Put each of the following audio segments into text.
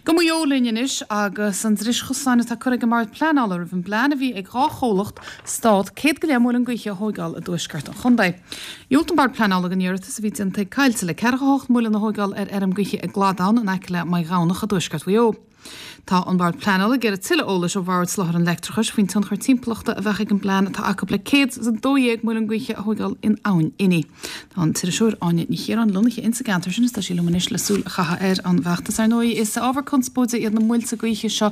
Go Maigh Eo linn anois agus an dris chosáin atá curtha ag an mBord Pleanála roimh an bplean a bhí ag 2 chomhlacht stát 100 go leith muileann gaoithe a thóigeáil i dtuaisceart an chontae. Dhiúltaigh an Bord Pleanála don iarratas a bhí déanta ag Coillte le 48 muileann a thóigeáil ar fheirm gaoithe i gCladán in aice le Maigh Ghamhnach i dtuaisceart Mhaigh Eo. Tá an Bord Pleanála ag iarraidh tuilleadh eolais ó Bhord Soláthair an Leictreachais faoin tionchar timpeallachta a bheadh ag an bplean atá acu le 112 muileann gaoithe a thóigeáil in Abhainn Inní. Tá an t-iriseoir Áine Ní Chiaráin lonnaithe insa gceantar sin is tá sí liom anois le súil a chaitheamh ar an bhfeachtas. Ar ndóigh, is ábhar conspóide iad na muilte gaoithe seo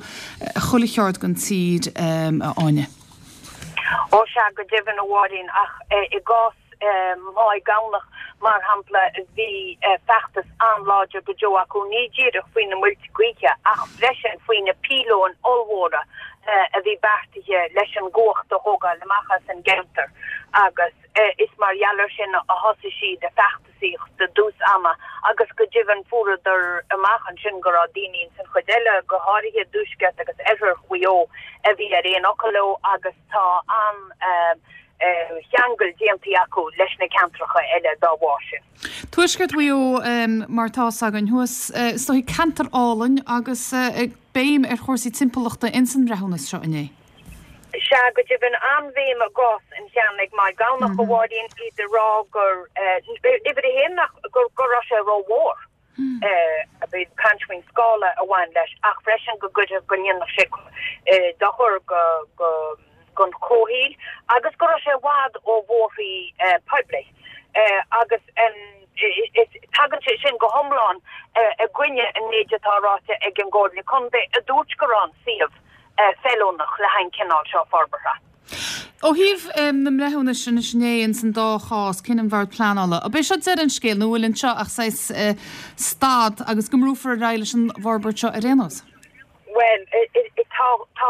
chuile cheard den tír, a Áine. Ó sea, go deimhin, a Mháirín, ach i gcás Mhaigh Ghamhnach, mar shampla, bhí feachtas an-láidir go deo acu, ní díreach faoi na muilte gaoithe ach freisin faoi na píolóin ollmhóra a bhí beartaithe leis an gcumhacht a thógáil amach as an gceantar agus is mar gheall air sin a thosaigh siad a feachtasaíocht i dtús ama agus go deimhin fuaireadar amach ansin go raibh daoine ins an chuid eile, go háirithe i dtuaisceart agus oirthear Mhaigh Eo, a bhí ar aon fhocal leo agus tá an cheangal déanta acu leis na ceantracha eile dá bharr sin. Tuaisceart Mhaigh Eo, mar atá fhios againn thuas, is dóigh, ceantar álainn agus béim ar chúrsaí timpeallachta ins an mbreithiúnas seo inné. Sea, go deimhin, an-bhéim i gcás an cheann ag Maigh Ghamhnach, a Mháirín, iad ag rá gur, uimhir a haon, nach, go raibh sé rómhór. Bhí caint faoin scála a bhain leis ach freisin go gcuirfeadh, go ndéanfadh sé dochar don chomhshaoil agus go raibh sé i bhfad ó bhóithrí poiblí agus tagann sé sin go hiomlán i gcoinne an méid atá ráite ag an gComhairle Contae a dúirt go raibh an suíomh feiliúnach le haghaidh an cineál seo forbartha. Ó thaobh na mbreithiúnais anois inné ins an dá chás, cinneadh an Bhoird Pleanála, ab é seo deireadh an scéil nó an bhfuil anseo ach saghas stad agus go mbrúfar ar aghaidh leis an bhforbairt seo ar aon nós? Bhuel, tá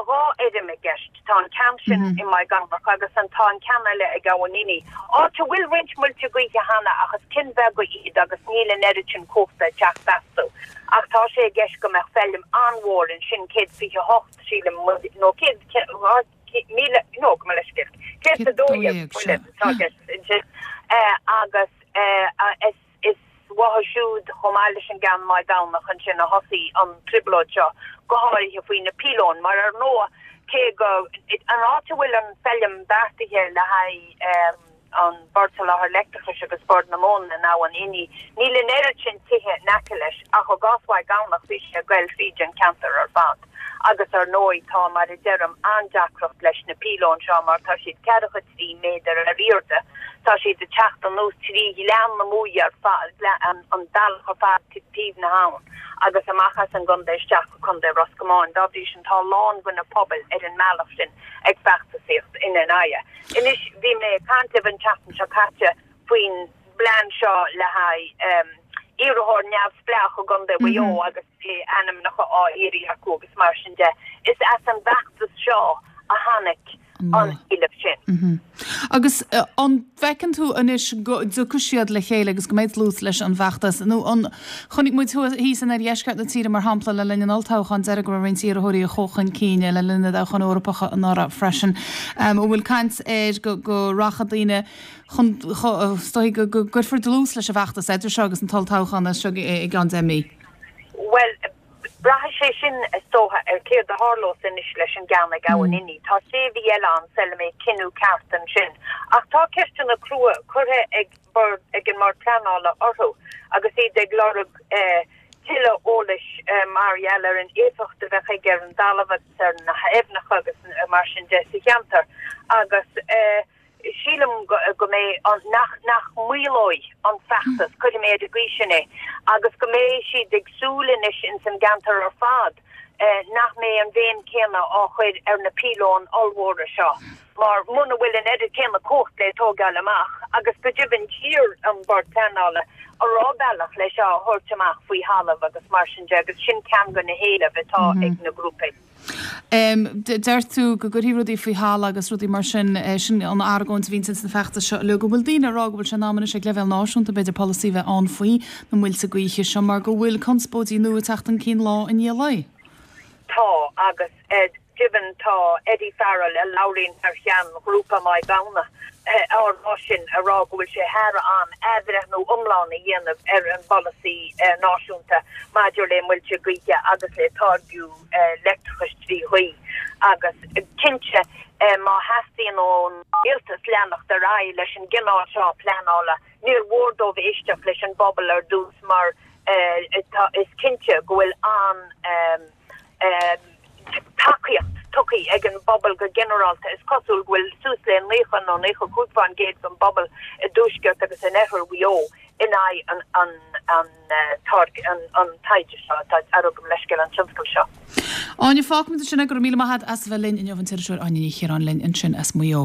dhá fheirm i gceist. Tá an ceann sin i Maigh Ghamhnach agus an tá an ceann eile ag Abhainn Inní, áit a bhfuil roinnt muilte gaoithe cheana ach is cinn bheaga iad agus níl an oiread sin cumhachta ag teacht astu. Ach tá sé i gceist go mbeadh feilm an-mhór ansin, 128, sílim, nó 100,000, nó gabh mo leithscéal, 112 muileann atá i gceist ansin agus is uathu siúd, chomh maith leis an gceann Maigh Ghamhnach ansin, a thosaigh an trioblóid seo, go háirithe faoi na píolóin, mar ar ndóigh, cé go, an áit a bhfuil an feilm beartaithe le haghaidh an Bord Soláthair Leictreachais agus Bord na Móna in Abhainn Inní, níl an oiread sin tithe in aice leis, ach i gcás Mhaigh Ghamhnach bhí sé ag goil thríd an ceantar ar fad. Agus ar ndóigh tá, mar a deirim, an-deacracht leis na píolóin seo mar tá siad ceathracha 3 méadar ar airde, tá siad ag teacht anuas trí Ghleann na Muaidhe ar fad, an bealach ar fad taobh na habhann agus amach as an gcontae isteach go Contae Ros Comáin. Dá bhrí sin tá a lán de na pobail ar an mbealach sin ag feachtasaíocht ina n-aghaidh. Anois, bhí mé ag caint libh an tseachtain seo caite faoin bplean seo le haghaidh iarrthóir neamhspleách i gContae Mhaigh Eo agus bhí ainmneacha á iarraidh acu agus mar sin de. Is as an bhfeachtas seo a tháinig an éileamh sin. Agus an bhfeiceann tú anois go dtiocfaidh siad le chéile agus go mbeidh dlús leis an bhfeachtas nó an, chonaic muid thíos in oirdheisceart na tíre mar shampla le linn an olltoghcháin deiridh go raibh roinnt iarrthóirí a chuaigh chun cinn le linn na dtoghchán Eorpacha anuraidh freisin. An bhfuil caint air go go rachaidh daoine chun, is dóigh go gcuirfear dlús leis an bhfeachtas idir seo agus an t-olltoghchán as seo i gceann 10 mí? Bhuel, Braithfidh sé sin, is dócha, ar céard a tharlós anois leis an gceann ag Abhainn Inní. Tá sé mhí eile ann sula mbeidh cinneadh ceart ansin. Ach tá ceisteanna crua curtha ag Bord ag an mBord Pleanála orthu agus iad ag lorg tuilleadh eolais mar gheall ar an éifeacht a bheadh aige ar an dtalamh agus ar na haibhneacha agus mar sin de sa cheantar. Agus. Sílim go mbeidh an, nach, nach maolóidh an feachtas, cuirfidh mé ar an gcaoi sin é, agus go mbeidh siad ag súil anois ins an gceantar ar fad nach mbeidh an bhéim céanna á chur ar na píolóin ollmhóra seo mar muna bhfuil an oiread céanna cumhacht le tógáil amach agus go deimhin d'iarr an Bord Pleanála an raibh bealach le seo a thabhairt amach faoi thalamh agus mar sin de agus sin ceann de na héilimh atá ag na grúpaí. Deir tú go gcuirfí rudaí faoi thalamh agus rudaí mar sin, sin an argóint a bhíonns ins na feachtais seo uilig. An bhfuil daoine ag rá go bhfuil sé in am anois ag leibhéal náisiúnta b'fhéidir polasaí a bheith ann faoi na muilte gaoithe seo mar go bhfuil conspóidí nua ag teacht chun cinn lá i ndiaidh lae? Tá, agus. deimhin tá Eddie Farrell, a labhraíonn thar cheann ghrúpa Mhaigh Gamhna, á rá sin, a rá go bhfuil sé thar am athbhreithniú iomlán a dhéanamh ar an bpolasaí náisiúnta maidir le muilte gaoithe agus le táirgiú leictreachais trí ghaoth agus cinnte má theastaíonn ón rialtas leanacht ar aghaidh leis an gcineál seo pleanála, níor mhór dóibh éisteacht leis an bpobal ar dtús mar is cinnte go bhfuil an-tacaíocht tugtha ag an bpobal go ginearálta. Is cosúil go bhfuil suas le 90 nó 95% den bpobal i dtuaisceart agus in oirthear Mhaigh Eo in aghaidh an an taighde seo atá ar gabh mo leithscéal an tionscal seo. Áine, fágfaimid ansin é. Go raibh míle maith agat as a bheith linn inniu, an t-iriseoir Áine Ní Chiaráin linn ansin as Maigh Eo.